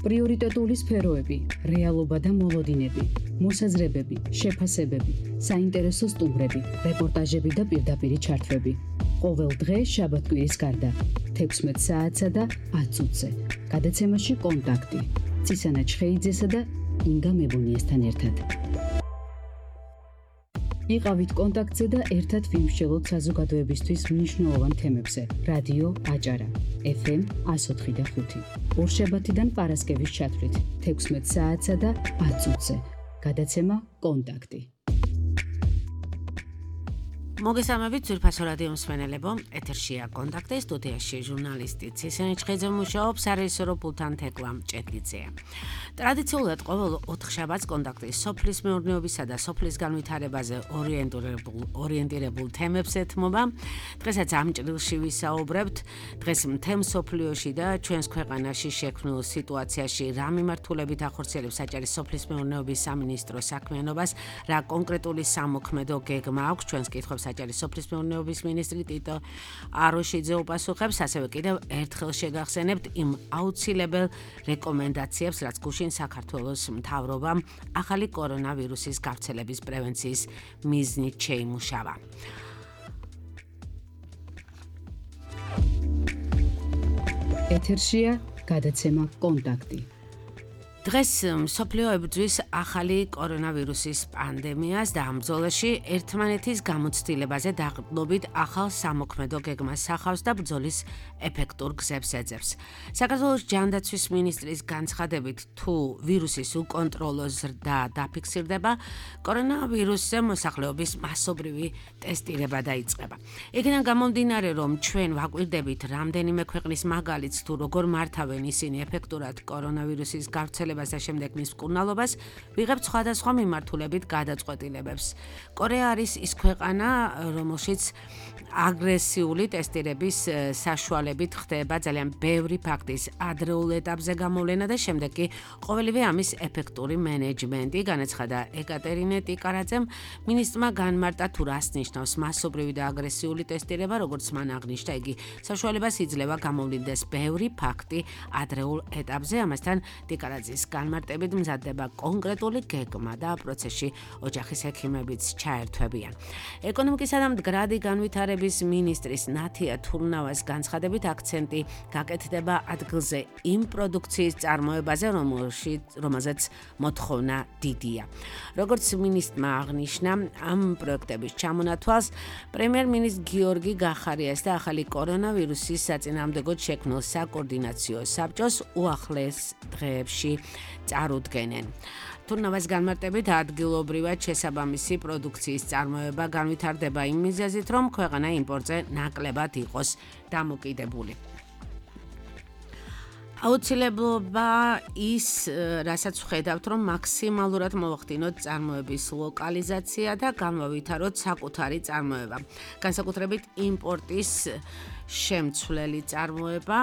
პრიორიტეტული სფეროები, რეალობა და მოლოდინები, მოსაზრებები, შეფასებები, საინტერესო სტუმრები, რეპორტაჟები და პირდაპირი ჩართვები. ყოველ დღე შაბათ-კვირის გარდა 16 საათსა და 10 წუთზე. გადაცემაში კონტაქტი. ცისანა ჩხეიძესა და ინგა მებუნიესთან ერთად. იყავით კონტაქტზე და ერთად ვიმსჯელოთ საზოგადოებისთვის მნიშვნელოვან თემებზე. რადიო აჭარა, FM 104.5. ორშაბათიდან პარასკევის ჩათვლით 16 საათსა და 10 წუთზე. გადაცემა კონტაქტი. მოგესალმებით ძვირფასო რადიო მსმენელებო, ეთერშია კონტაქტი, სტუდიაში ჟურნალისტი ცისანა ჩხეიძე მუშაობს, სარეჟისორო პულტთან თეკლა მჭედლიძეა. ტრადიციულად ყოველ 4 შაბათს კონტაქტი სოფლის მეურნეობისა და სოფლის განვითარებაზე ორიენტირებულ თემებს ეთმობა. დღესაც ამ ჭრილში ვისაუბრებთ დღეს მთელ მსოფლიოში და ჩვენს ქვეყანაში შექმნილ სიტუაციაში რა მიმართულებით ახორციელებს საჭირო სოფლის მეურნეობის სამინისტროს საქმიანობას, რა კონკრეტული სამოქმედო გეგმა აქვს ჩვენს კითხვებს საჭირო სოფლის მეურნეობის მინისტრი ტიტო აროშიძე უპასუხებს, ასევე კიდევ ერთხელ შეგახსენებთ იმ აუცილებელ რეკომენდაციებს, რაც გუშინ საქართველოს მთავრობამ ახალი კორონავირუსის გავრცელების პრევენციის მიზნით შეიმუშავა. ეთერშია გადაცემა კონტაქტი. დღეს მსოფლიო ებრძვის ახალი კორონავირუსის პანდემიას და ამ ბრძოლაში ერთმანეთის გამოცდილებაზე დაყრდნობით ახალ სამოქმედო გეგმას სახავს და ბრძოლის ეფექტურ გზებს ეძებს. საქართველოს ჯანდაცვის მინისტრის განცხადებით, თუ ვირუსის უკონტროლო ზრდა დაფიქსირდება, კორონავირუსზე მოსახლეობის მასობრივი ტესტირება დაიწყება. იქიდან გამომდინარე, რომ ჩვენ ვაკვირდებით რამდენიმე ქვეყნის მაგალითს, თუ როგორ მართავენ ისინი ეფექტურად კორონავირუსის გავრცელებას და შემდეგ მის მკურნალობას, ვიღებთ სხვადასხვა მიმართულებით გადაწყვეტილებებს. კორეა არის ის ქვეყანა, რომელშიც აგრესიული ტესტირების საშუალებით ხდება ძალიან ბევრი ფაქტის ადრეულ ეტაპზე გამოვლენა და შემდეგ კი ყოველივე ამის ეფექტური მენეჯმენტი, განაცხადა ეკატერინე ტიკარაძემ. მინისტრმა განმარტა, თუ რას ნიშნავს მასობრივი და აგრესიული ტესტირება, როგორც მან აღნიშნა, იგი საშუალებას იძლევა გამოვლინდეს ბევრი ფაქტი ადრეულ ეტაპზე. ამასთან ტიკარაძის განმარტებით მზადდება კონკრეტული გეგმა და პროცესში ოჯახის ექიმებიც ჩაერთვებიან. ეკონომიკისა და მდგრადი განვითარების მინისტრის ნათია თურნავას განცხადებით აქცენტი გაკეთდება ადგილზე იმ პროდუქციის წარმოებაზე, რომელზეც მოთხოვნა დიდია. როგორც მინისტრმა აღნიშნა, ამ პროექტების ჩამონათვალს პრემიერ-მინისტრ გიორგი გახარიას და ახალი კორონავირუსის საწინააღმდეგოდ შექმნილ საკოორდინაციო საბჭოს უახლეს დღეებში წარუდგენენ. თურნავას განმარტებით ადგილობრივად შესაბამისი პროდუქციის წარმოება განვითარდება იმ მიზეზით, რომ ქვეყანა იმპორტზე ნაკლებად იყოს დამოკიდებული. აუცილებლობა ის, რასაც ვხედავთ, რომ მაქსიმალურად მოვახდინოთ წარმოების ლოკალიზაცია და განვავითაროთ საკუთარი წარმოება. განსაკუთრებით იმპორტის შემცვლელი წარმოება,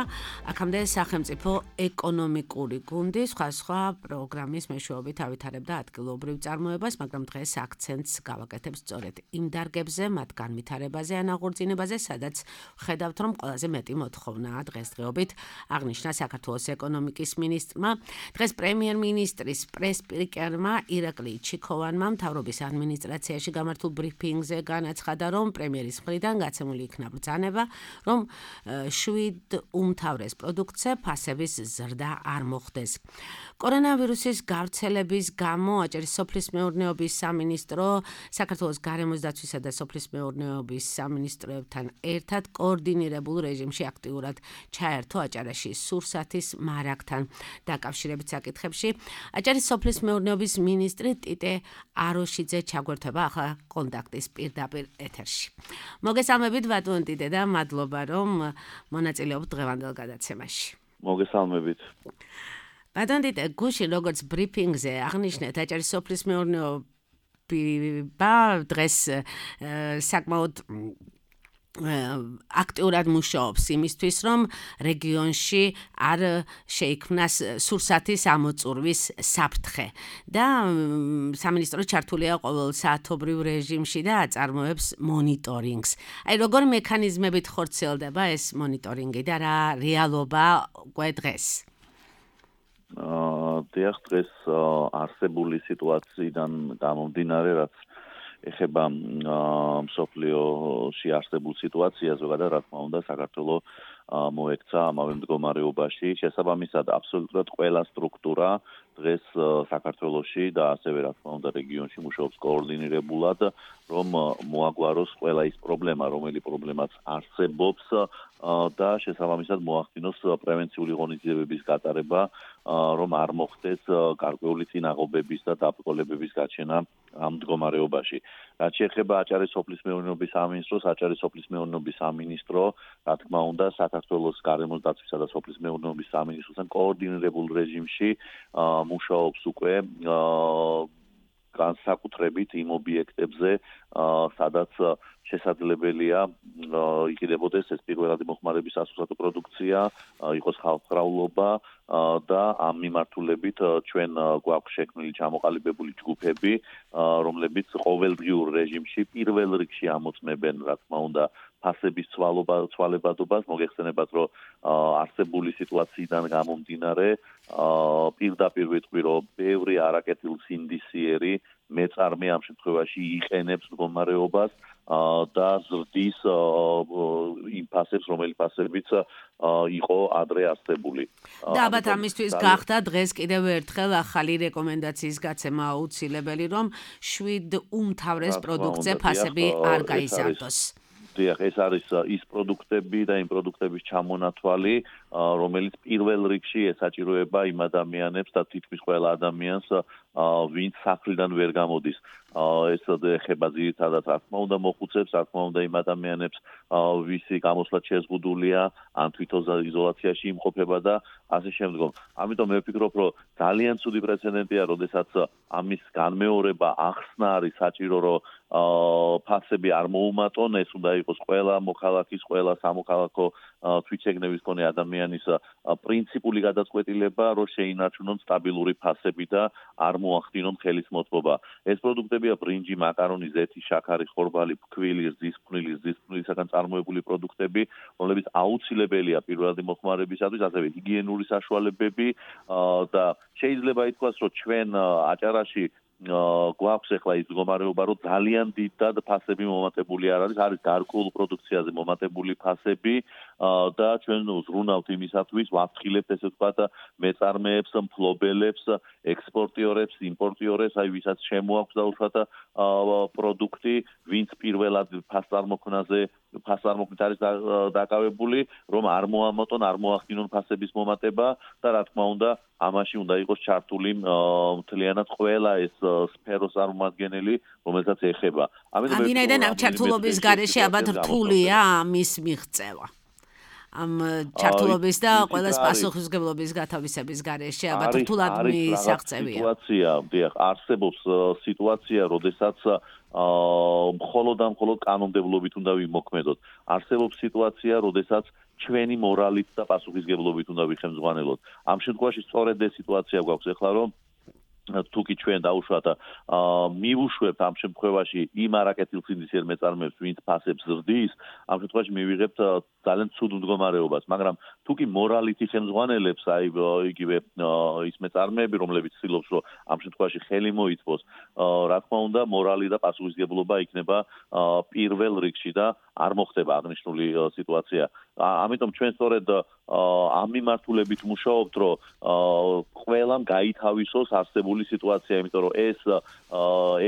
აქამდე სახელმწიფო ეკონომიკური გუნდი სხვა პროგრამის მეშვეობით ავითარებდა ადგილობრივ წარმოებას, მაგრამ დღეს აქცენტს გავაკეთებს სწორედ იმ დარგებზე, მათ განვითარებაზე ან აღორძინებაზე, სადაც ვხედავთ, რომ ყველაზე მეტი მოთხოვნაა დღესდღეობით, აღნიშნა საქართველოს ეკონომიკის მინისტრმა. დღეს პრემიერ-მინისტრის პრესპიკერმა ირაკლი ჩიქოვანმა მთავრობის ადმინისტრაციაში გამართულ ბრიფინგზე განაცხადა, რომ პრემიერის მხრიდან გაცემული იქნა ბრძანება, რომ 7 უმთავრეს პროდუქტზე ფასების ზრდა არ მოხდეს. კორონავირუსის გავრცელების გამო აჭარის სოფლის მეურნეობის სამინისტრო საქართველოს გარემოს დაცვისა და სოფლის მეურნეობის სამინისტროებთან ერთად კოორდინირებულ რეჟიმში აქტიურად ჩაერთო აჭარაში სურსათის მარაგთან დაკავშირებით საკითხებში. აჭარის სოფლის მეურნეობის მინისტრი ტიტე აროშიძე ჩაგვერთვება ახლა კონტაქტის პირდაპირ ეთერში. მოგესალმებით ბატონ ტიტე და მადლობა, რომ მონაწილეობთ დღევანდელ გადაცემაში. მოგესალმებით. ბატონ ტიტე, გუშინ როგორც ბრიფინგზე აღნიშნეთ, აჭარის სოფლის მეურნეობა დღეს საკმაოდ აქტიურად მუშაობს იმისთვის, რომ რეგიონში არ შეიქმნას სურსათის ამოწურვის საფრთხე და სამინისტრო ჩართულია ყოველსაათობრივ რეჟიმში და აწარმოებს მონიტორინგს. აი, როგორ მექანიზმებით ხორციელდება ეს მონიტორინგი და რა რეალობა უკვე დღეს? დიახ, დღეს არსებული სიტუაციიდან გამომდინარე, რაც ეხება მსოფლიოში არსებულ სიტუაციას, ზოგადად რა თქმა უნდა, საქართველო მოექცა ამავე მდგომარეობაში. შესაბამისად, აბსოლუტურად ყველა სტრუქტურა დღეს საქართველოში და ასევე რა თქმა უნდა რეგიონში მუშაობს კოორდინირებულად, რომ მოაგვაროს ყველა ის პრობლემა, რომელი პრობლემაც არსებობს და შესაბამისად მოახდინოს პრევენციული ღონისძიებების გატარება, რომ არ მოხდეს გარკვეული წინაღობების და დაბრკოლებების გაჩენა ამ მდგომარეობაში. რაც შეეხება აჭარის სოფლის მეურნეობის სამინისტროს, აჭარის სოფლის მეურნეობის სამინისტრო, რა თქმა უნდა, საქართველოს გარემოს დაცვისა და სოფლის მეურნეობის სამინისტროსთან კოორდინირებულ რეჟიმში მუშაობს უკვე განსაკუთრებით იმ ობიექტებზე, სადაც შესაძლებელია იყიდებოდეს ეს პირველადი მოხმარების სასურსათო პროდუქცია, იყოს ხალხმრავლობა და ამ მიმართულებით ჩვენ გვაქვს შექმნილი ჩამოყალიბებული ჯგუფები, რომლებიც ყოველდღიურ რეჟიმში პირველ რიგში ამოწმებენ, რა თქმა უნდა, ფასების ცვალებადობას, მოგეხსენებათ, რომ არსებული სიტუაციიდან გამომდინარე, პირდაპირ ვიტყვი, რომ ბევრი არაკეთილსინდისიერი მეწარმე ამ შემთხვევაში იყენებს მდგომარეობას და ზრდის იმ ფასებს, რომელი ფასებიც იყო ადრე არსებული. და ალბათ ამისთვის გახდა დღეს კიდევ ერთხელ ახალი რეკომენდაციის გაცემა აუცილებელი, რომ 7 უმთავრეს პროდუქტზე ფასები არ გაიზარდოს. დიახ, ეს არის ის პროდუქტები და იმ პროდუქტების ჩამონათვალი, რომელიც პირველ რიგში ესაჭიროება იმ ადამიანებს და თითქმის ყველა ადამიანს, ვინც სახლიდან ვერ გამოდის. ეს ეხება ძირითადად რა თქმა უნდა მოხუცებს, რა თქმა უნდა იმ ადამიანებს, ვისი გამოსვლა შეზღუდულია, ან თვითონ იზოლაციაში იმყოფება და ასე შემდგომ. ამიტომ მე ვფიქრობ, რომ ძალიან ცუდი პრეცედენტია, როდესაც ამის განმეორება ახსნა არის საჭირო, რომ ფასები არ მოუმატონ, ეს უნდა იყოს ყველა მოქალაქის, ყველა სამოქალაქო თვითშეგნების მქონე ადამიანის პრინციპული გადაწყვეტილება, რომ შეინარჩუნონ სტაბილური ფასები და არ მოახდინონ ხელის მოწყობა. ეს პროდუქტებია ბრინჯი, მაკარონი, ზეთი, შაქარი, ხორბალი, ფქვილი, რძის ფხვნილისაგან წარმოებული პროდუქტები, რომლებიც აუცილებელია პირველადი მოხმარებისათვის, ასევე ჰიგიენური საშუალებები და შეიძლება ითქვას, რომ ჩვენ აჭარაში გვაქვს ახლა ის მდგომარეობა, რომ ძალიან დიდად ფასები მომატებული არ არის გარკვეულ პროდუქციაზე მომატებული ფასები და ჩვენ ზრუნავთ იმისათვის, ვაფრთხილებთ ესე ვთქვათ მეწარმეებს, მფლობელებს, ექსპორტიორებს, იმპორტიორებს, აი ვისაც შემოაქვს დაუშვათ პროდუქტი, ვინც პირველად ფასწარმოქმნით არის დაკავებული, რომ არ მოამატონ, არ მოახდინონ ფასების მომატება და რა თქმა უნდა, ამაში უნდა იყოს ჩართული მთლიანად ყველა ეს სფეროს წარმომადგენელი, რომელსაც ეხება. ამიტომ ამ ჩართულობის გარეშე ალბათ რთულია ამის მიღწევა. ამ ჩართულობის და ყველას პასუხისმგებლობის გათავისების გარეშე ალბათ რთულად მისაღწევია. დიახ, არსებობს სიტუაცია, როდესაც მხოლოდ კანონმდებლობით უნდა ვიმოქმედოთ. არსებობს სიტუაცია, როდესაც ჩვენი მორალით და პასუხისმგებლობით უნდა ვიხემძღვანელოთ. ამ შემთხვევაში სწორედ ეს სიტუაცია გვაქვს ახლა, რომ თუკი ჩვენ დაუშვათ მივუშვებთ ამ შემთხვევაში იმ არაკეთილსინდისიერ მეწარმეებს, ვინც ფასებს ზრდის, ამ შემთხვევაში მივიღებთ ძალიან ცუდ მდგომარეობას, მაგრამ თუკი მორალით იხემძღვანელებს აი იგივე ის მეწარმეები, რომლებიც ცდილობს, რომ ამ შემთხვევაში ხელი მოიწვოს, რა თქმა უნდა, მორალი და პასუხისმგებლობა იქნება პირველ რიგში და არ მოხდება აღნიშნული სიტუაცია. ამიტომ ჩვენ სწორედ ამ მიმართულებით მუშაობთ, რომ ყველამ გაითავისოს არსებული სიტუაცია, იმიტომ რომ ეს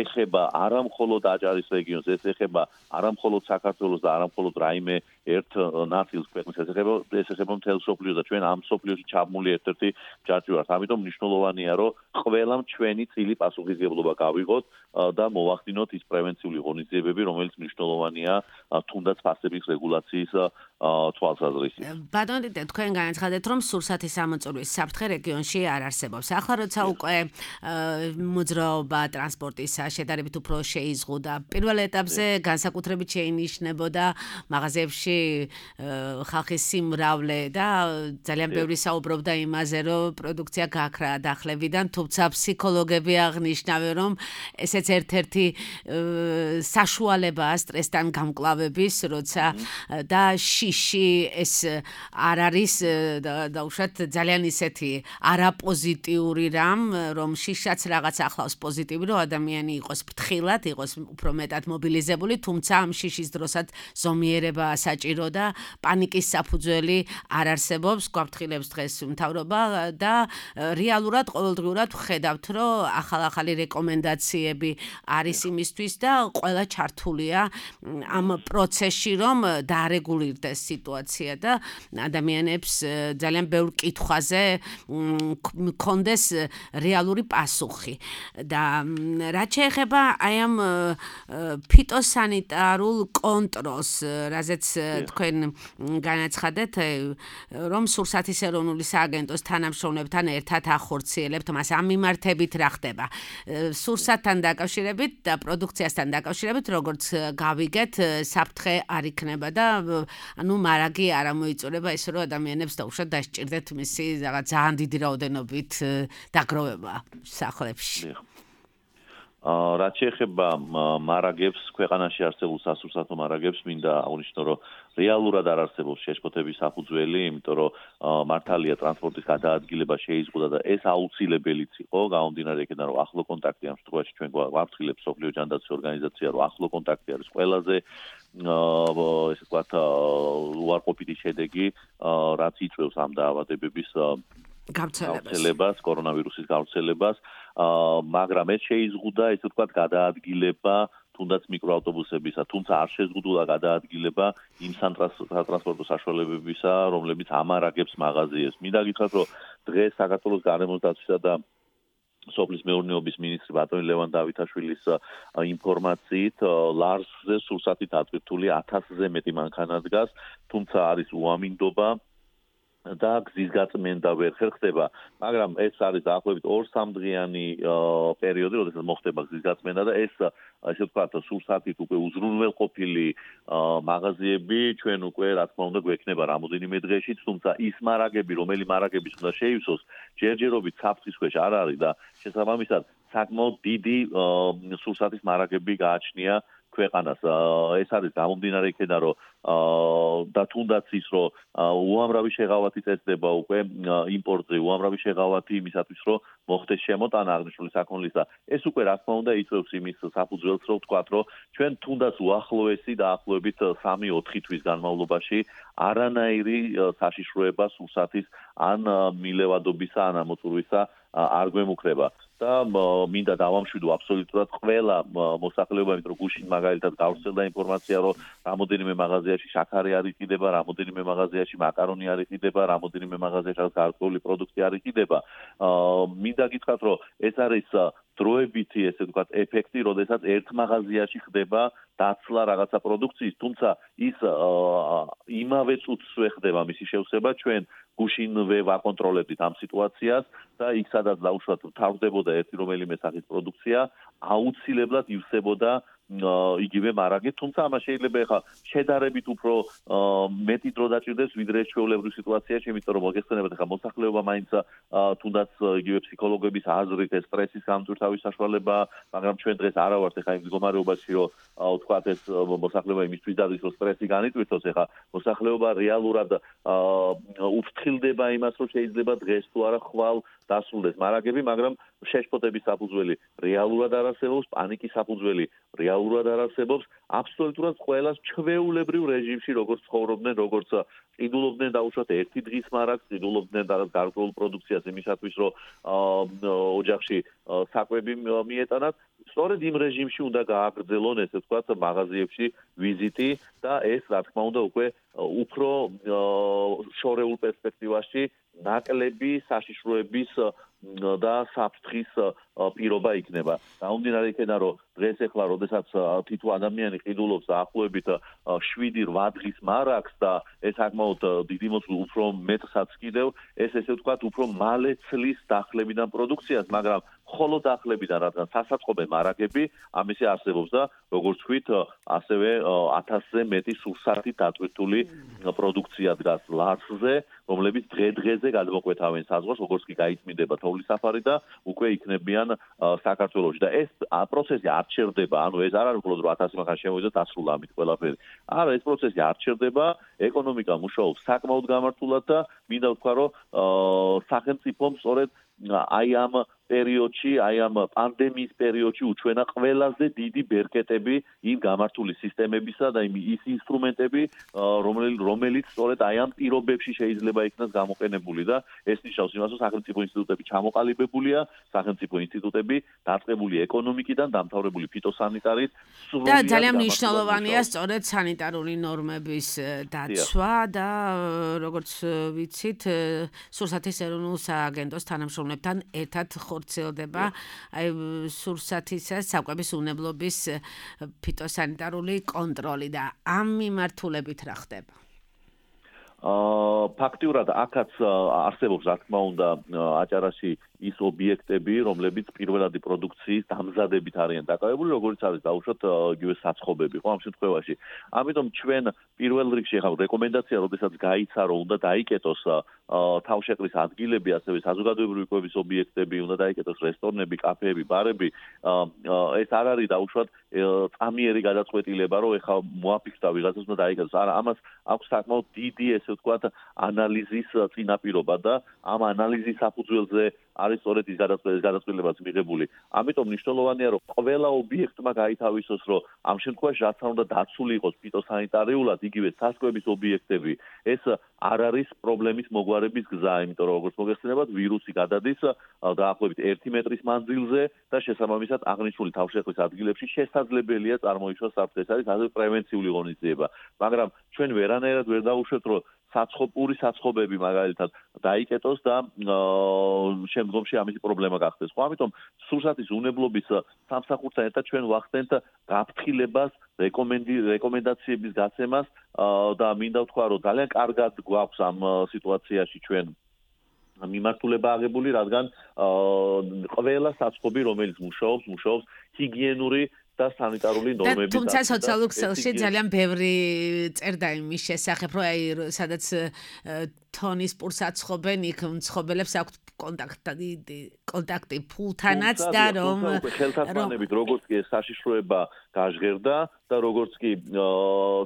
ეხება არა მხოლოდ აჭარის რეგიონს, ეს ეხება არა მხოლოდ საქართველოს და არა მხოლოდ რაიმე ერთ ნაწილს ქვეყნის, ეს ეხება მთელ მსოფლიოს და ჩვენ ამ მსოფლიოში ჩაბმული ერთ-ერთი ჯაჭვი ვართ. ამიტომ მნიშვნელოვანია, რომ ყველამ ჩვენი წილი პასუხისმგებლობა გავიღოთ და მოვახდინოთ ის პრევენციული ღონისძიებები, რომელიც მნიშვნელოვანია თუნდაც ფასების რეგულაციის თვალსაზრისით. ბატონო, თქვენ განაცხადეთ, რომ სურსათის ამოწურვის საფრთხე რეგიონში არ არსებობს. ახლა როცა უკვე მოძრაობა ტრანსპორტისა შედარებით უფრო შეიზღუდა, პირველ ეტაპზე განსაკუთრებით შეინიშნებოდა მაღაზიებში ხალხის სიმრავლე და ძალიან ბევრი საუბრობდა იმაზე, რომ პროდუქცია გაქრა დახლებიდან, თუმცა ფსიქოლოგები აღნიშნავენ, რომ ესეც ერთ-ერთი საშუალებაა სტრესთან გამკლავების, როცა და შიში ეს არ არის დაუშვათ ძალიან ისეთი არაპოზიტიური რამ, რომ შიშაც რაღაც ახლავს პოზიტივი, რომ ადამიანი იყოს ფრთხილად, იყოს უფრო მეტად მობილიზებული, თუმცა ამ შიშის დროსაც ზომიერება საჭირო და პანიკის საფუძველი არ არსებობს, გვაფრთხილებს დღეს მთავრობა და რეალურად ყოველდღიურად ვხედავთ, რომ ახალ-ახალი რეკომენდაციები არის იმისთვის და ყველა ჩართულია ამ პროცესში, რომ დაარეგულირდეს სიტუაცია და ადამიანებს ძალიან ბევრ კითხვაზე მქონდეს რეალური პასუხი. და რაც შეეხება აი ამ ფიტოსანიტარულ კონტროლს, რაზეც თქვენ განაცხადეთ, რომ სურსათის ეროვნული სააგენტოს თანამშრომლებთან ერთად ახორციელებთ მას ამ მიმართებით რა ხდება. სურსათთან დაკავშირებით და პროდუქციასთან დაკავშირებით, როგორც გავიგეთ, საფრთხე არ იქნება და ანუ მარაგი არ ამოიწურება ისე რომ ადამიანებს დაუშვათ დასჭირდეთ მისი რაღაც ძალიან დიდი რაოდენობით დაგროვება სახლებში. რაც შეეხება მარაგებს, ქვეყანაში არსებულ სასურსათო მარაგებს, მინდა აღნიშნო, რომ რეალურად არ არსებობს შეშფოთების საფუძველი, იმიტომ რომ მართალია ტრანსპორტის გადაადგილება შეიზღუდა და ეს აუცილებელიც იყო, გამომდინარე იქიდან, რომ ახლო კონტაქტი ამ შემთხვევაში ჩვენ გვაფრთხილებს მსოფლიო ჯანდაცვის ორგანიზაცია, რომ ახლო კონტაქტი არის ყველაზე ესე ვთქვათ უარყოფითი შედეგი, რაც იწვევს ამ დაავადებების გავრცელებას, კორონავირუსის გავრცელებას, მაგრამ ეს შეიზღუდა, ესე ვთქვათ, გადაადგილება თუნდაც მიკროავტობუსებისა, თუმცა არ შეზღუდულა გადაადგილება იმ სატრანსპორტო საშუალებებისა, რომლებიც ამარაგებს მაღაზიებს. მინდა გითხრათ, რომ დღეს საქართველოს გარემოს დაცვისა და სოფლის მეურნეობის მინისტრი ბატონი ლევან დავითაშვილის ინფორმაციით, ლარსზე სურსათით ატვირთული 1000-ზე მეტი მანქანა დგას, თუმცა არის უამინდობა და გზის გაწმენდა ვერ ხერხდება, მაგრამ ეს არის დაახლოებით 2-3 დღიანი პერიოდი, როდესაც მოხდება გზის გაწმენდა და ეს ასე ვთქვათ, სურსათით უკვე უზრუნველყოფილი მაღაზიები ჩვენ უკვე რა თქმა უნდა გვექნება რამოდენიმე დღეში, თუმცა ის მარაგები, რომელი მარაგების უნდა შეივსოს, ჯერჯერობით საფრთხის ქვეშ არ არის და შესაბამისად საკმაოდ დიდი სურსათის მარაგები გააჩნია ქვეყანას. ეს არის გამომდინარე იქიდან, რომ და თუნდაც ის, რომ უამრავი შეღავათი წესდება უკვე იმპორტზე, უამრავი შეღავათი იმისათვის, რომ მოხდეს შემოტანა აღნიშნული საქონლისა. ეს უკვე რა თქმა უნდა იწვევს იმის საფუძველს, რომ ვთქვათ, რომ ჩვენ თუნდაც უახლოესი დაახლოებით 3-4 თვის განმავლობაში არანაირი საშიშროება სურსათის ან მილევადობისა, ან ამოწურვისა არ გვემუქრება. და მინდა დავამშვიდო აბსოლუტურად ყველა მოსახლეობა, იმიტომ რომ გუშინ მაგალითად გავრცელდა ინფორმაცია, რომ რამოდენიმე მაღაზიაში შაქარი არ იყიდება, რამოდენიმე მაღაზიაში მაკარონი არ იყიდება, რამოდენიმე მაღაზიაში გარკვეული პროდუქტი არ იყიდება. მინდა გითხრათ, რომ ეს არის დროებითი, ესე ვთქვათ, ეფექტი, როდესაც ერთ მაღაზიაში ხდება დაცლა რაღაცა პროდუქციის, თუმცა ის იმავე წუთსვე ხდება მისი შევსება, ჩვენ გუშინვე ვაკონტროლებდით ამ სიტუაციას და იქ სადაც დაუშვათ თავდებოდა ერთი რომელიმე სახის პროდუქცია, აუცილებლად ივსებოდა იგივე მარაგით, თუმცა ამას შეიძლება ეხა შედარებით უფრო მეტი დრო დაჭირდეს, ვიდრე ჩვეულებრივ სიტუაციაში, იმიტომ რომ მოგეხსენებათ ეხა მოსახლეობა მაინც თუნდაც იგივე ფსიქოლოგების აზრით ეს სტრესის გამტვირთავის საშუალება, მაგრამ ჩვენ დღეს არა ვართ ეხა იმ მდგომარეობაში, რომ ვთქვათ ეს მოსახლეობა იმისთვის დადის, რომ სტრესი განიტვირთოს, ეხა მოსახლეობა რეალურად უფრთხილდება იმას, რომ შეიძლება დღეს თუ არა ხვალ დასრულდეს მარაგები, მაგრამ შეშფოთების საფუძველი რეალურად არ არსებობს, პანიკის საფუძველი რეალურად არ არსებობს, აბსოლუტურად ყველას ჩვეულებრივ რეჟიმში როგორც ცხოვრობდნენ, როგორც ყიდულობდნენ დაუშვათ ერთი დღის მარაგს, ყიდულობდნენ რაღაც გარკვეულ პროდუქციას იმისათვის, რომ ოჯახში საკვები მიეტანათ. სწორედ იმ რეჟიმში უნდა გააგრძელონ, ესე ვთქვათ, მაღაზიებში ვიზიტი და ეს რა თქმა უნდა უკვე უფრო შორეულ პერსპექტივაში ნაკლები საშიშროების და საფრთხის პირობა იქნება. გამომდინარე იქიდან, რომ დღეს ეხლა, როდესაც თითო ადამიანი ყიდულობს დაახლოებით 7-8 დღის მარაგს და ეს საკმაოდ დიდი უფრო მეტსაც კიდევ, ეს ესე ვთქვათ, უფრო მალე ცლის დახლებიდან პროდუქციას, მაგრამ ხოლო დახლებიდან, რადგან სასაწყობე მარაგები ამისი არსებობს და როგორც ვთქვით, ასევე 1000-ზე მეტი სურსათი დატვირთული პროდუქცია დგას ლარსზე, რომლებიც დღე-დღეზე გადმოკვეთავენ საზღვარს, როგორც კი გაიწმინდება თოვლის საფარი და უკვე იქნებიან საქართველოში. და ეს პროცესი არ ჩერდება, ანუ ეს არ არის მხოლოდ რომ 1000 მანქანა შემოვიდა დასრულა ამით ყველაფერი. არა, ეს პროცესი არ ჩერდება, ეკონომიკა მუშაობს საკმაოდ გამართულად და მინდა ვთქვა, რომ სახელმწიფომ სწორედ აი ამ პერიოდში, აი ამ პანდემიის პერიოდში უჩვენა ყველაზე დიდი ბერკეტები იმ გამართული სისტემებისა და ის ინსტრუმენტები, რომელიც სწორედ აი ამ პირობებში შეიძლება იქნას გამოყენებული და ეს ნიშნავს იმას, რომ სახელმწიფო ინსტიტუტები ჩამოყალიბებულია, სახელმწიფო ინსტიტუტები დაწყებული ეკონომიკიდან, დამთავრებული ფიტოსანიტარით, და ძალიან მნიშვნელოვანია სწორედ სანიტარული ნორმების დაცვა და როგორც ვიცით, სურსათის ეროვნულ სააგენტოს თანამშრომლებთან ერთად ხორციელდება აი სურსათისა საკვების უნებლობის ფიტოსანიტარული კონტროლი და ამ მიმართულებით რა ხდება? ფაქტიურად აქაც არსებობს რა თქმა უნდა აჭარაში ის ობიექტები, რომლებიც პირველადი პროდუქციის დამზადებით არიან დაკავებული, როგორც არის დაუშვათ იგივე საცხობები, ხო ამ შემთხვევაში. ამიტომ ჩვენ პირველ რიგში ახლა რეკომენდაცია, როდესაც გაიცა, რომ უნდა დაიკეტოს თავშეყრის ადგილები, ასევე საზოგადოებრივი კვების ობიექტები, უნდა დაიკეტოს რესტორნები, კაფეები, ბარები, ეს არ არის დაუშვათ წამიერი გადაწყვეტილება, რომ ეხლა მოაფიქრდა ვიღაცას უნდა დაიკეტოს. არა, ამას აქვს საკმაოდ დიდი, ესე ვთქვათ, ანალიზის წინაპირობა და ამ ანალიზის საფუძველზე არის სწორედ ის გადაწყვეტილებაც მიღებული. ამიტომ მნიშვნელოვანია, რომ ყველა ობიექტმა გაითავისოს, რომ ამ შემთხვევაში რაც უნდა დაცული იყოს ფიტოსანიტარიულად, იგივე სასკვების ობიექტები, ეს არ არის პრობლემის მოგვარების გზა, იმიტომ რომ როგორც მოგეხსენებათ, ვირუსი გადადის დაახლოებით 1 მეტრის მანძილზე და შესაბამისად აღნიშნული თავშეყრის ადგილებში შესაძლებელია წარმოიშვას საფრთხე. ეს არის ასევე პრევენციული ღონისძიება. მაგრამ ჩვენ ვერანაირად ვერ დავუშვებთ, რომ პური საცხობები მაგალითად დაიკეტოს და შემდგომში ამისი პრობლემა გახდეს. ხო, ამიტომ სურსათის უნებლობის სამსახურთან ერთად ჩვენ ვახდენთ გაფრთხილებას, რეკომენდაციების გაცემას და მინდა ვთქვა, რომ ძალიან კარგად გვაქვს ამ სიტუაციაში ჩვენ მიმართულება აღებული, რადგან ყველა საცხობი, რომელიც მუშაობს ჰიგიენური და სანიტარული ნორმები. თუმცა სოციალურ ქსელში ძალიან ბევრი წერდა იმის შესახებ, რომ აი სადაც თონის პურს აცხობენ, იქ მცხოვრებს აქვთ კონტაქტი ფულთანაც და რომ ხელთათმანებით როგორც კი საშიშროება გაჟღერდა და როგორც კი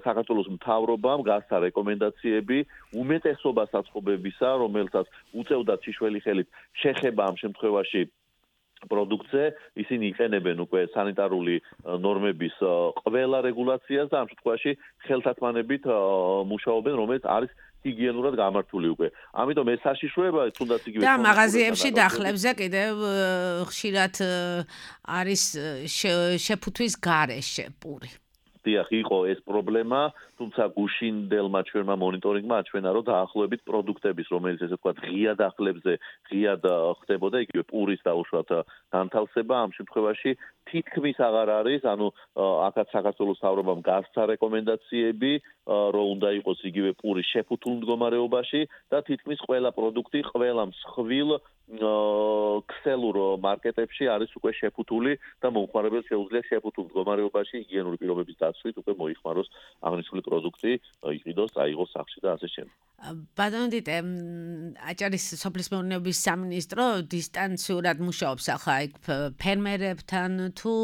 საქართველოს მთავრობამ გასცა რეკომენდაციები უმეტესობა საცხობებისა, რომელსაც უწევდათ შიშველი ხელით შეხება ამ შემთხვევაში პროდუქცია, ისინი იყენებენ უკვე სანიტარული ნორმების ყველა რეგულაციას და ამ შემთხვევაში ხელთათმანებით მუშაობენ, რომელიც არის ჰიგიენურად გამართული უკვე. ამიტომ ეს საშიშროება თუნდაც იგივე და მაღაზიებში დახლებზე კიდევ ხშირად არის შეფუთვის გარეშე პური. დიახ, იყო ეს პრობლემა, თუმცა გუშინდელმა ჩვენმა მონიტორინგმა აჩვენა, რომ დაახლოებით პროდუქტების, რომელიც ესე ვთქვათ, ღია დახლებზე ღიად ხდებოდა, იგივე პურის დაუშვათ განთავსება, ამ შემთხვევაში თითქმის აღარ არის, ანუ აქაც საქართველოს მთავრობამ გასცა რეკომენდაციები, რომ უნდა იყოს იგივე პური შეფუთულ მდგომარეობაში და თითქმის ყველა პროდუქტი, ყველა მსხვილ ქსელურ მარკეტებში არის უკვე შეფუთული და მომხმარებელს შეუძლია შეფუთულ მდგომარეობაში ჰიგიენური პირობების დაცვით უკვე მოიხმაროს აღნიშნული პროდუქტი, იყიდოს, წაიღოს სახლში და ასე შემდეგ. ბატონო დიტე, აჭარის სოფლის მეურნეობის სამინისტრო დისტანციურად მუშაობს ახლა იქ ფერმერებთან თუ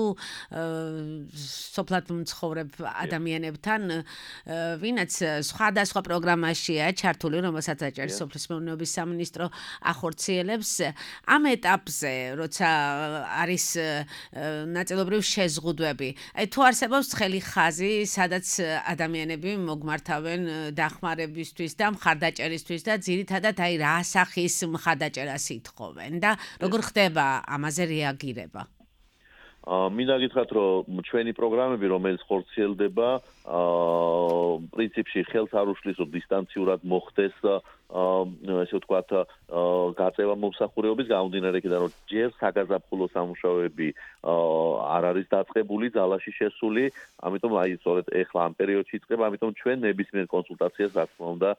სოფლად მცხოვრებ ადამიანებთან, ვინაც სხვადასხვა პროგრამაშია ჩართული, რომელსაც აჭარის სოფლის მეურნეობის სამინისტრო ახორციელებს. ამ ეტაპზე, როცა არის ნაწილობრივ შეზღუდვები, აი თუ არსებობს ცხელი ხაზი, სადაც ადამიანები მოგმართავენ დახმარებისთვის და მხარდაჭერისთვის და ძირითადად აი რა სახის მხარდაჭერას ითხოვენ და როგორ ხდება ამაზე რეაგირება? მინდა გითხრათ, რომ ჩვენი პროგრამები, რომელიც ხორციელდება, პრინციპში ხელს არ უშლის, რომ დისტანციურად მოხდეს ესე ვთქვათ, გაწევა მომსახურეობის გამომდინარე იქიდან, რომ ჯერ საგაზაფხულო სამუშაოები არ არის დაწყებული, ძალაში შესული, ამიტომ აი სწორედ ეხლა ამ პერიოდში იწყება, ამიტომ ჩვენ ნებისმიერ კონსულტაციას რა თქმა უნდა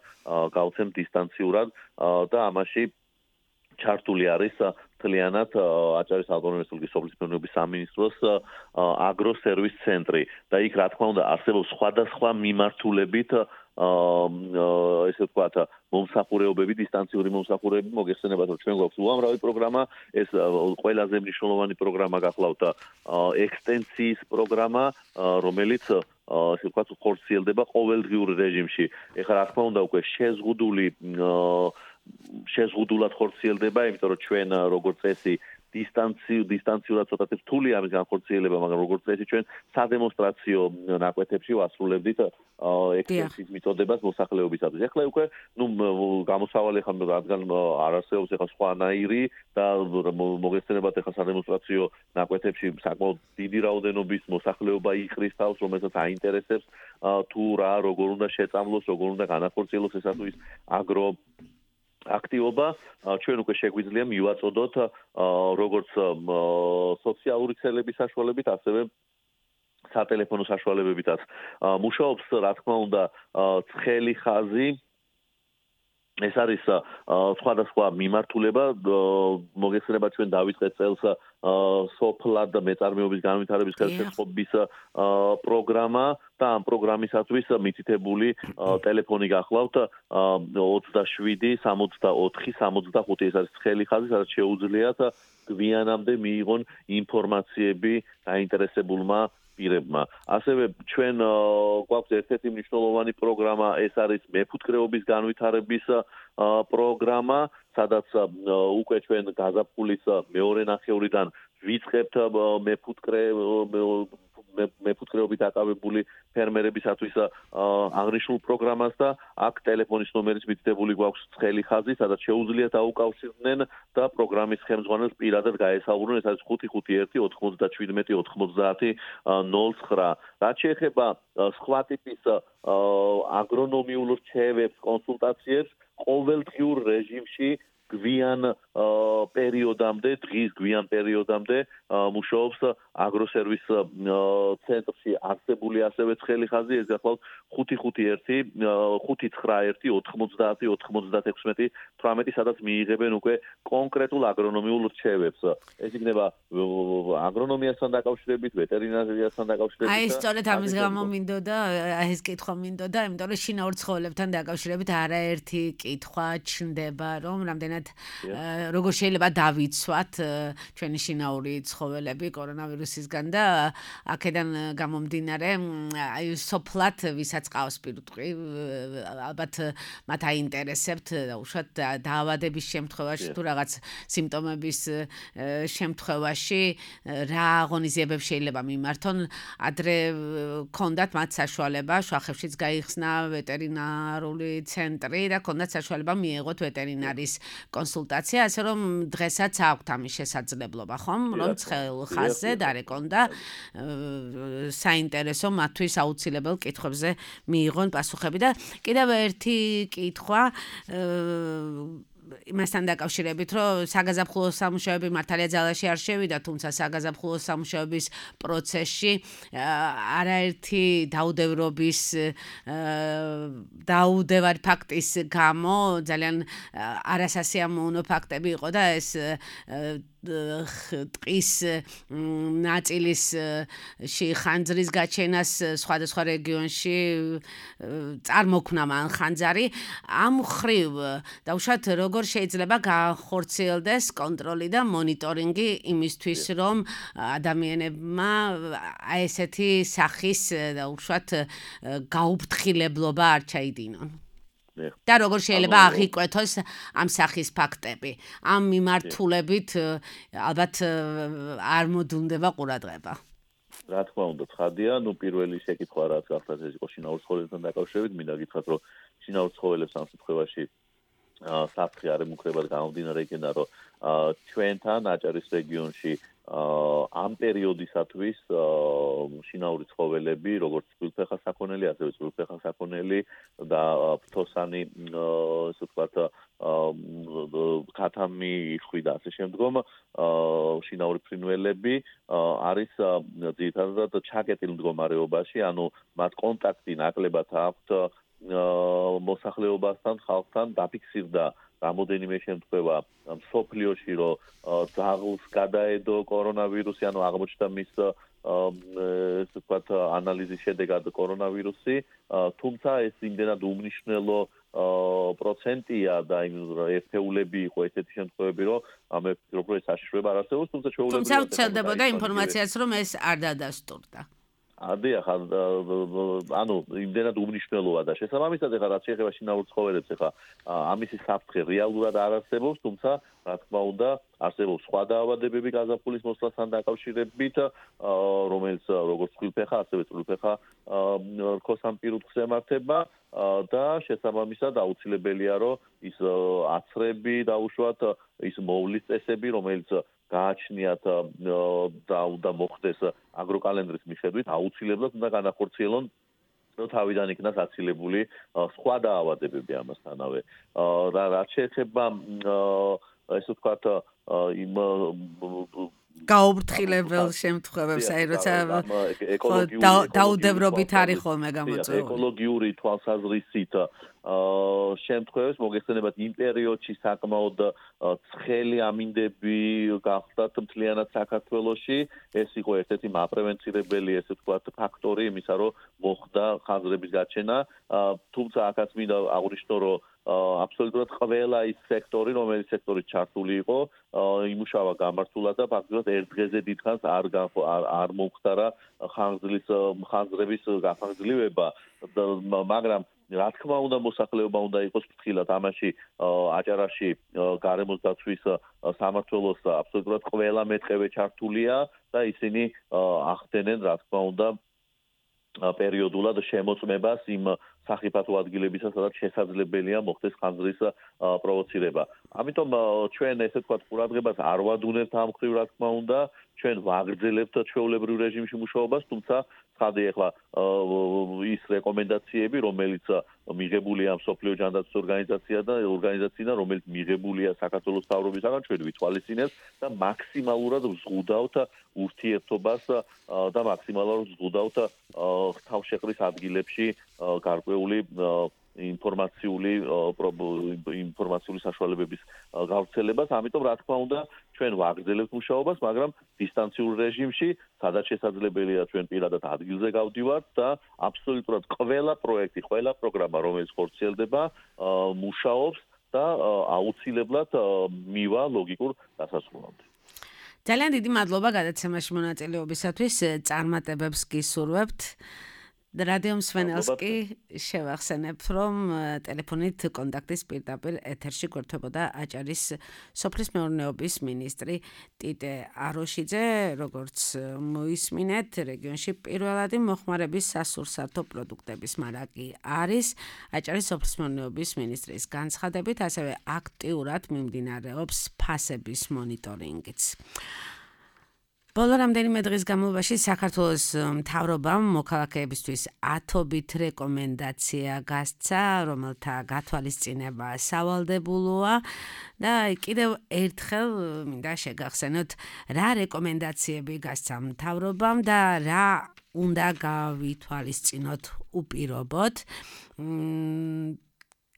გავცემთ დისტანციურად და ამაში ჩართული არის მთლიანად აჭარის ავტონომიური რესპუბლიკის სოფლის მეურნეობის სამინისტროს აგროსერვის ცენტრი და იქ რა თქმა უნდა არსებობს სხვადასხვა მიმართულებით ესე ვთქვათ მომსახურებები, დისტანციური მომსახურებები, მოგეხსენებათ, რომ ჩვენ გვაქვს უამრავი პროგრამა, ეს ყველაზე მნიშვნელოვანი პროგრამა გახლავთ ექსტენსიის პროგრამა, რომელიც ასე ვთქვათ, ხორციელდება ყოველდღიურ რეჟიმში. ეხლა რა თქმა უნდა უკვე შეზღუდულად ხორციელდება, იმიტომ რომ ჩვენ როგორც წესი დისტანციურად ცოტათი რთულია ამის განხორციელება, მაგრამ როგორც წესი ჩვენ სადემონსტრაციო ნაკვეთებში ვასრულებდით ექსტენსიის მიწოდებას მოსახლეობისათვის. ეხლა უკვე გამოსავალი ხომ რადგან არ არსებობს ეხლა სხვანაირი და მოგესწრებათ ეხლა სადემონსტრაციო ნაკვეთებში საკმაოდ დიდი რაოდენობის მოსახლეობა იყრის თავს, რომელსაც აინტერესებს თუ რა როგორ უნდა შეწამლოს, როგორ უნდა განახორციელოს ესა თუ ის აგრო აქტივობა ჩვენ უკვე შეგვიძლია მივაწოდოთ როგორც სოციალური ქსელების საშუალებით, ასევე სატელეფონო საშუალებებითაც. მუშაობს, რა თქმა უნდა, ცხელი ხაზი. ეს არის სხვადასხვა მიმართულება, მოგეხსენებათ ჩვენ დავიწყეთ წელს სოფლად მეწარმეობის განვითარების ხელშეწყობის პროგრამა და ამ პროგრამისათვის მითითებული ტელეფონი გახლავთ 27 64 65 ეს არის ცხელი ხაზი, სადაც შეუძლიათ გვიანამდე მიიღონ ინფორმაციები დაინტერესებულმა პირებმა. ასევე ჩვენ გვაქვს ერთ-ერთი მნიშვნელოვანი პროგრამა, ეს არის მეფუტკრეობის განვითარების პროგრამა, სადაც უკვე ჩვენ გაზაფხულის მეორე ნახევრიდან ვიწყებთ მეფუტკრეობით აკავებული ფერმერებისათვის აღნიშნულ პროგრამას და აქ ტელეფონის ნომერიც მითითებული გვაქვს ცხელი ხაზი, სადაც შეუძლიათ აუკავშირდნენ და პროგრამის ხელმძღვანელს პირადად გაესაუბრონ, ეს არის 551 97 90 09. რაც შეეხება სხვა ტიპის აგრონომიულ რჩევებს, კონსულტაციებს, ყოველდღიურ რეჟიმში გვიან პერიოდამდე, დღის გვიან პერიოდამდე მუშაობს აგროსერვის ცენტრში არსებული ასევე ცხელი ხაზი, ეს გახლავთ 551 591 90 96 18, სადაც მიიღებენ უკვე კონკრეტულ აგრონომიულ რჩევებს. ეს იქნება აგრონომიასთან დაკავშირებით, ვეტერინარიასთან დაკავშირებით. აი, სწორედ ამის გამო მინდოდა, ეს კითხვა მინდოდა, იმიტომ რომ შინაურ ცხოველებთან დაკავშირებით არაერთი კითხვა ჩნდება, რომ რამდენად როგორ შეიძლება დავიცვათ ჩვენი შინაური ცხოველები კორონავირუსისგან და აქედან გამომდინარე აი სოფლად ვისაც ყავს პირუტყვი ალბათ მათ აინტერესებთ უშუალოდ დაავადების შემთხვევაში თუ რაღაც სიმპტომების შემთხვევაში რა აღონიზიებებს შეიძლება მიმართონ ადრე ქონდათ მათ საშუალება შუახევშიც გაიხსნა ვეტერინარული ცენტრი და ქონდათ საშუალება მიეღოთ ვეტერინარის კონსულტაცია, ასე რომ დღესაც აქვთ ამის შესაძლებლობა, ხომ? რომ ცხელ ხაზზე დარეკონ და საინტერესო მათთვის აუცილებელ კითხვებზე მიიღონ პასუხები და კიდევ ერთი კითხვა იმასთან დაკავშირებით, რომ საგაზაფხულო სამუშაოები მართალია ძალაში არ შევიდა, თუმცა საგაზაფხულო სამუშაოების პროცესში არაერთი დაუდევრობის დაუდევარი ფაქტის გამო ძალიან არასასიამოვნო ფაქტები იყო და ეს ტყის ნაწილისში ხანძრის გაჩენას სხვადასხვა რეგიონში წარმოქმნა მან ხანძარი ამ ხრივ დაუშვათ როგორ შეიძლება განხორციელდეს კონტროლი და მონიტორინგი იმისთვის რომ ადამიანებმა ესეთი სახის დაუშვათ გაუფრთხილებლობა არ ჩაიდინონ და როგორ შეიძლება აღიკვეთოს ამ სახის ფაქტები. ამ მიმართულებით ალბათ არ მოდუნდება ყურადღება. რა თქმა უნდა, ცხადია, პირველი შეკითხვა რაც გახსოვთ ეს იყო შინაურ ცხოველებთან დაკავშირებით, მინდა გითხრათ, რომ შინაურ ცხოველებს ამ შემთხვევაში საფრთხე არ ემუქრებათ გამომდინარე იქიდან, რომ ჩვენთან აჭარის რეგიონში ამ პერიოდისათვის შინაური ცხოველები, როგორც წყვილფეხა საქონელი, ასევე წყვილფეხა საქონელი და ფრთოსანი, ასე ვთქვათ, ქათამი, იხვი და ასე შემდგომ შინაური ფრინველები არის ძირითადად ჩაკეტილ მდგომარეობაში, ანუ მათ კონტაქტი ნაკლებად აქვთ მოსახლეობასთან, ხალხთან დაფიქსირდა რამოდენიმე შემთხვევა მსოფლიოში, რომ ძაღლს გადაედო კორონავირუსი, ანუ აღმოჩნდა მის ესე ვთქვათ ანალიზის შედეგად კორონავირუსი, თუმცა ეს იმდენად უმნიშვნელო პროცენტია და იმ ერთეულები იყო ესეთი შემთხვევები, რომ მე ვფიქრობ, რომ ეს საშიშროება არ არსებობს, თუმცა ჩვეულებრივად თუმცა ვრცელდებოდა ინფორმაციაც, რომ ეს არ დადასტურდა. დიახ, ანუ იმდენად უმნიშვნელოა და შესაბამისად ეხლა რაც შეეხება შინაურ ცხოველებს, ეხლა ამისი საფრთხე რეალურად არ არსებობს, თუმცა რა თქმა უნდა არსებობს სხვა დაავადებები გაზაფხულის მოსვლასთან დაკავშირებით, რომელიც როგორც წყვილფეხა, ასევე წვრილფეხა რქოს ამ პირუტყვს ემართება და შესაბამისად აუცილებელია, რომ ის აცრები დაუშვათ, ის მოვლის წესები, რომელიც გააჩნიათ და უნდა მოხდეს აგროკალენდრის მიხედვით, აუცილებლად უნდა განახორციელონ თავიდან იქნას აცილებული სხვა დაავადებები ამასთანავე. რაც შეეხება ესე ვთქვათ იმ გაუფრთხილებელ შემთხვევებს, აი როცა დაუდევრობით არის ხოლმე გამოწვეული. ეკოლოგიური თვალსაზრისით შემთხვევებს მოგეხსენებათ იმ პერიოდში საკმაოდ ცხელი ამინდები გახდათ მთლიანად საქართველოში, ეს იყო ერთ-ერთი მაპრევენცირებელი ესე ვთქვათ ფაქტორი იმისა, რომ მოხდა ხანძრების გაჩენა, თუმცა აქაც მინდა აღვნიშნო, რომ აბსოლუტურად ყველა ის სექტორი, რომელიც სექტორით ჩართული იყო, იმუშავა გამართულად და ფაქტობრივად ერთ დღეზე დიდხანს არ მომხდარა ხანძრების გახანგრძლივება, მაგრამ რა თქმა უნდა მოსახლეობა უნდა იყოს ფრთხილად ამაში აჭარაში გარემოს დაცვის სამმართველოს აბსოლუტურად ყველა მეტყევე ჩართულია და ისინი ახდენენ რა თქმა უნდა პერიოდულად შემოწმებას იმ სახიფათო ადგილებისა, სადაც შესაძლებელია მოხდეს ხანძრის პროვოცირება. ამიტომ ჩვენ ესე ვთქვათ ყურადღებას არ ვადუნებთ ამ მხრივ რა თქმა უნდა, ჩვენ ვაგრძელებთ ჩვეულებრივ რეჟიმში მუშაობას, თუმცა ცხადია ახლა ის რეკომენდაციები, რომელიც მიღებულია მსოფლიო ჯანდაცვის ორგანიზაციიდან, რომელიც მიღებულია საქართველოს მთავრობისაგან, ჩვენ ვითვალისწინებთ და მაქსიმალურად ვზღუდავთ ურთიერთობას და მაქსიმალურად ვზღუდავთ თავშეყრის ადგილებში გარკვეული ინფორმაციული საშუალებების გავრცელებას, ამიტომ რა თქმა უნდა ჩვენ ვაგრძელებთ მუშაობას, მაგრამ დისტანციურ რეჟიმში, სადაც შესაძლებელია ჩვენ პირადად ადგილზე გავდივართ და აბსოლუტურად ყველა პროექტი, ყველა პროგრამა, რომელიც ხორციელდება, მუშაობს და აუცილებლად მივა ლოგიკურ დასასრულამდე. ძალიან დიდი მადლობა გადაცემაში მონაწილეობისათვის, წარმატებებს გისურვებთ. რადიო მსმენელს კი შევახსენებ, რომ ტელეფონით კონტაქტის პირდაპირ ეთერში გვერდებოდა აჭარის სოფლის მეურნეობის მინისტრი ტიტე აროშიძე, როგორც მოისმინეთ, რეგიონში პირველადი მოხმარების სასურსათო პროდუქტების მარაგი არის აჭარის სოფლის მეურნეობის მინისტრის განცხადებით, ასევე აქტიურად მიმდინარეობს ფასების მონიტორინგიც. ბოლო რამდენიმე დღის განმავლობაში საქართველოს მთავრობამ მოქალაქეებისთვის ათობით რეკომენდაცია გასცა, რომელთა გათვალისწინება სავალდებულოა და კიდევ ერთხელ მინდა შეგახსენოთ, რა რეკომენდაციები გასცა მთავრობამ და რა უნდა გავითვალისწინოთ უპირობოდ.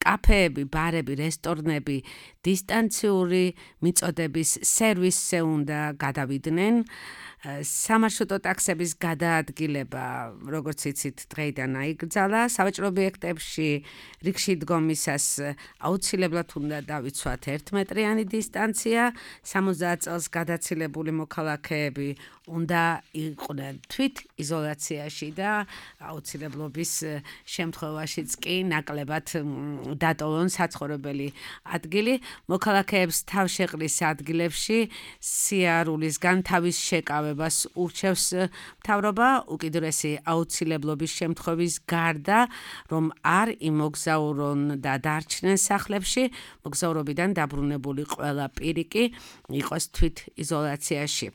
კაფეები, ბარები, რესტორნები დისტანციური მიწოდების სერვისზე უნდა გადავიდნენ. სამარშრუტო ტაქსების გადაადგილება, როგორც იცით, დღეიდან აიგრძალა. სავაჭრო ობიექტებში რიგში დგომისას აუცილებლად უნდა დავიცვათ 1 მეტრიანი დისტანცია. 70 წელს გადაცილებული მოქალაქეები უნდა იყვნენ თვით იზოლაციაში და აუცილებლობის შემთხვევაშიც კი ნაკლებად დატოვონ საცხოვრებელი ადგილი. მოქალაქეებს თავშეყრის ადგილებში სიარულისგან თავის შეკავებას ურჩევს მთავრობა, უკიდურესი აუცილებლობის შემთხვევის გარდა, რომ არ იმოგზაურონ და დარჩნენ სახლებში, მოგზაურობიდან დაბრუნებული ყველა პირი კი იყოს თვით იზოლაციაში.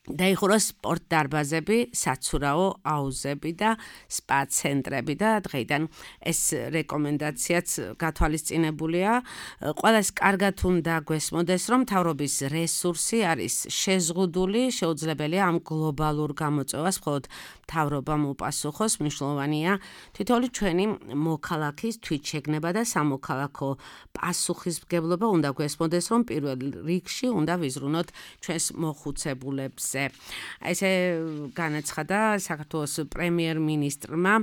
დაიხურა სპორტ დარბაზები, საცურაო აუზები და სპა ცენტრები და დღეიდან ეს რეკომენდაციაც გათვალისწინებულია. ყველას კარგად უნდა გვესმოდეს, რომ მთავრობის რესურსი არის შეზღუდული, შეუძლებელია ამ გლობალურ გამოწვევას მხოლოდ მთავრობამ უპასუხოს. მნიშვნელოვანია თითოეული ჩვენი მოქალაქის თვითშეგნება და სამოქალაქო პასუხისმგებლობა უნდა გვესმოდეს, რომ პირველ რიგში უნდა ვიზრუნოთ ჩვენს მოხუცებულებს. ესე განაცხადა საქართველოს პრემიერ-მინისტრმა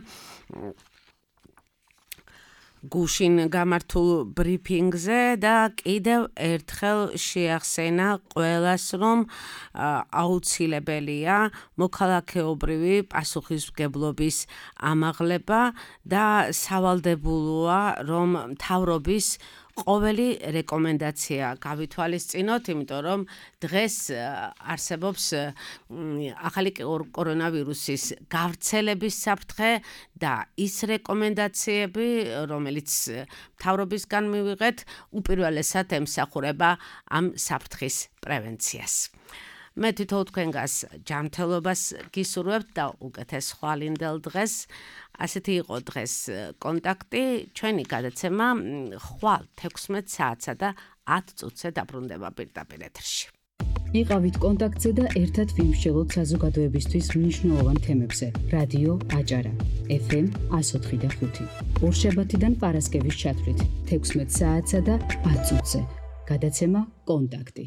გუშინ გამართულ ბრიფინგზე და კიდევ ერთხელ შეახსენა ყველას, რომ აუცილებელია მოქალაქეობრივი პასუხისმგებლობის ამაღლება და სავალდებულოა, რომ მთავრობის ყოველი რეკომენდაცია გავითვალისწინოთ, იმიტომ რომ დღეს არსებობს ახალი კორონავირუსის გავრცელების საფრთხე და ის რეკომენდაციები, რომელიც მთავრობისგან მივიღეთ, უპირველესად ემსახურება ამ საფრთხის პრევენციას. მე თვითონ თქვენგას ჯანმრთელობას გისურვებთ და უკეთეს ხვალინდელ დღეს. ასეთი იყო დღეს კონტაქტი, ჩვენი გადაცემა ხვალ 16 საათსა და 10 წუთზე დაბრუნდება პირდაპირ ეთერში. იყავით კონტაქტზე და ერთად ვიმსჯელოთ საზოგადოებისთვის მნიშვნელოვან თემებზე. რადიო აჭარა, FM 104.5. ორშაბათიდან პარასკევის ჩათვლით 16 საათსა და 10 წუთზე. გადაცემა კონტაქტი.